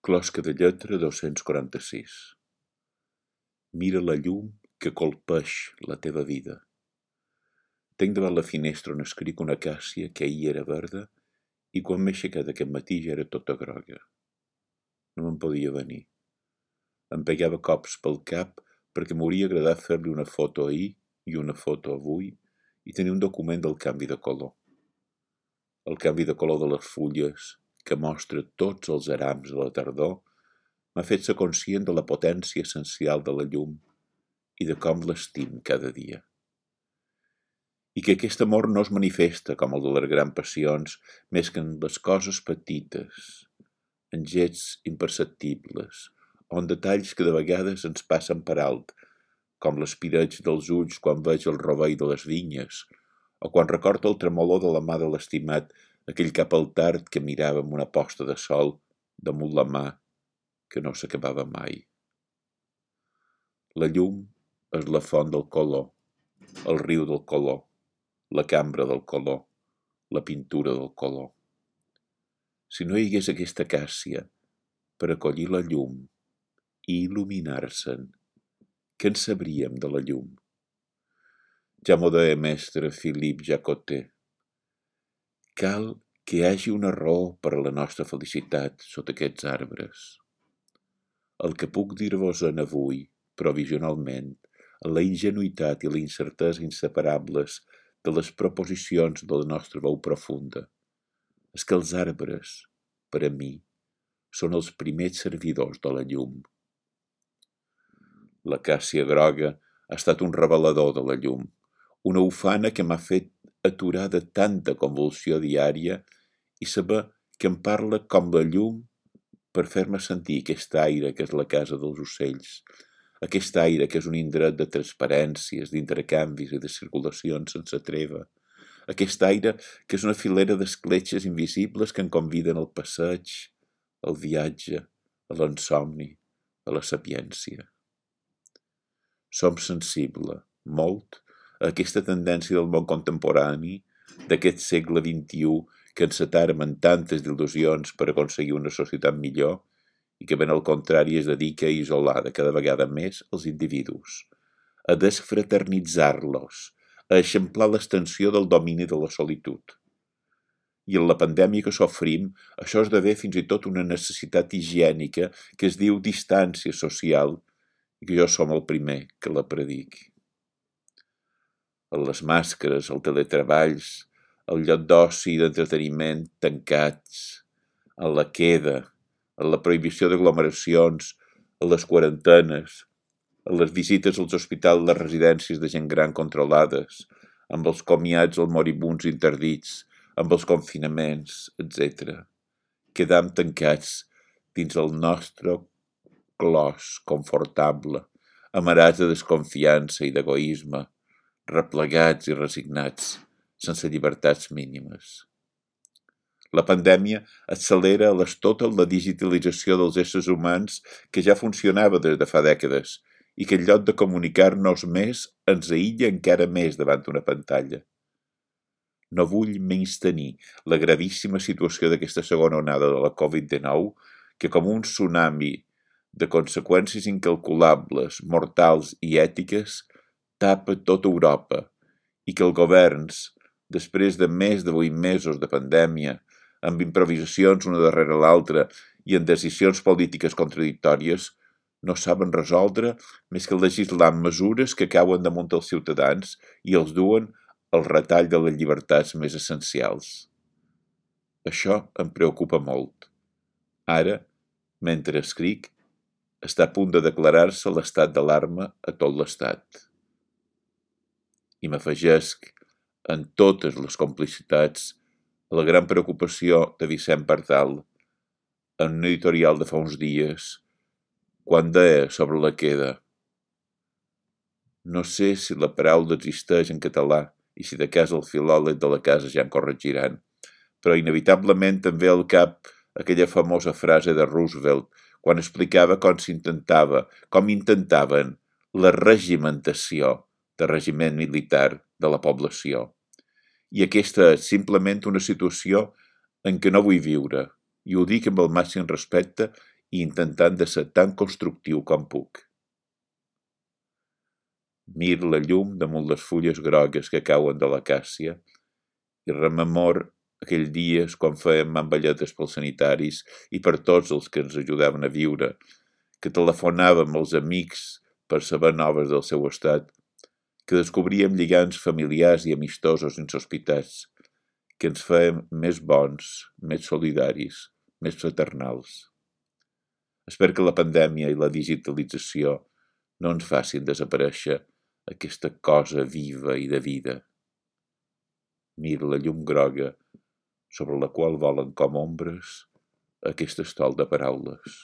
Closca de lletra 246. Mira la llum que colpeix la teva vida. Tenc davant la finestra on escric una acàcia que ahir era verda i quan m'he aixecat aquest matí ja era tota groga. No me'n podia venir. Em pegava cops pel cap perquè m'hauria agradat fer-li una foto ahir i una foto avui i tenir un document del canvi de color. El canvi de color de les fulles, que mostra tots els arams de la tardor, m'ha fet ser conscient de la potència essencial de la llum i de com l'estim cada dia. I que aquest amor no es manifesta com el de les grans passions més que en les coses petites, en gets imperceptibles, o en detalls que de vegades ens passen per alt, com l'espireig dels ulls quan veig el rovell de les vinyes, o quan recordo el tremolor de la mà de l'estimat, aquell cap al tard que mirava amb una posta de sol damunt la mà que no s'acabava mai. La llum és la font del color, el riu del color, la cambra del color, la pintura del color. Si no hi hagués aquesta acàcia per acollir la llum i il·luminar-se'n, què en sabríem de la llum? Ja m'ho deia mestre Philippe Jacotet. Cal que hi hagi una raó per a la nostra felicitat sota aquests arbres. El que puc dir-vos en avui, provisionalment, en la ingenuïtat i la incertesa inseparables de les proposicions de la nostra veu profunda, és que els arbres, per a mi, són els primers servidors de la llum. L'acàcia groga ha estat un revelador de la llum, una ufana que m'ha fet aturar de tanta convulsió diària i saber que em parla com la llum per fer-me sentir aquest aire que és la casa dels ocells, aquest aire que és un indret de transparències, d'intercanvis i de circulacions sense treva, aquest aire que és una filera d'escletxes invisibles que em conviden al passeig, al viatge, a l'insomni, a la sapiència. Som sensibles, molt, a aquesta tendència del món contemporani, d'aquest segle XXI, que encetarem en tantes il·lusions per aconseguir una societat millor i que ben al contrari es dedica a isolar de cada vegada més els individus, a desfraternitzar-los, a eixamplar l'extensió del domini de la solitud. I en la pandèmia que sofrim, això esdevé fins i tot una necessitat higiènica que es diu distància social i que jo som el primer que la prediqui. En les màscares, els teletreballs, el lloc d'oci i d'entreteniment tancats, en la queda, en la prohibició d'aglomeracions, en les quarantenes, en les visites als hospitals i les residències de gent gran controlades, amb els comiats als moribuns interdits, amb els confinaments, etc. Quedam tancats dins el nostre clos confortable, amarats de desconfiança i d'egoisme, replegats i resignats, sense llibertats mínimes. La pandèmia accelera a l'estotel la digitalització dels éssers humans que ja funcionava des de fa dècades i que en lloc de comunicar-nos més ens aïlla encara més davant d'una pantalla. No vull menystenir la gravíssima situació d'aquesta segona onada de la Covid-19 que com un tsunami de conseqüències incalculables, mortals i ètiques tapa tota Europa i que els governs, després de més de 8 mesos de pandèmia, amb improvisacions una darrere l'altra i en decisions polítiques contradictòries, no saben resoldre més que legislar mesures que cauen damunt els ciutadans i els duen al retall de les llibertats més essencials. Això em preocupa molt. Ara, mentre escric, està a punt de declarar-se l'estat d'alarma a tot l'estat. I m'afegesc en totes les complicitats a la gran preocupació de Vicent Pardal en un editorial de fa uns dies quan deia sobre la queda: no sé si la paraula existeix en català i si de cas el filòleg de la casa ja en corregiran, però inevitablement em ve al cap aquella famosa frase de Roosevelt quan explicava com intentaven la regimentació de regiment militar de la població. I aquesta és simplement una situació en què no vull viure, i ho dic amb el màxim respecte i intentant de ser tan constructiu com puc. Miro la llum damunt les fulles grogues que cauen de l'acàcia i rememor aquells dies quan fèiem mamballetes pels sanitaris i per tots els que ens ajudaven a viure, que telefonàvem als amics per saber noves del seu estat, que descobríem lligams familiars i amistosos insospitats, que ens fèiem més bons, més solidaris, més fraternals. Espero que la pandèmia i la digitalització no ens facin desaparèixer aquesta cosa viva i de vida. Miro la llum groga sobre la qual volen com ombres aquest estol de paraules.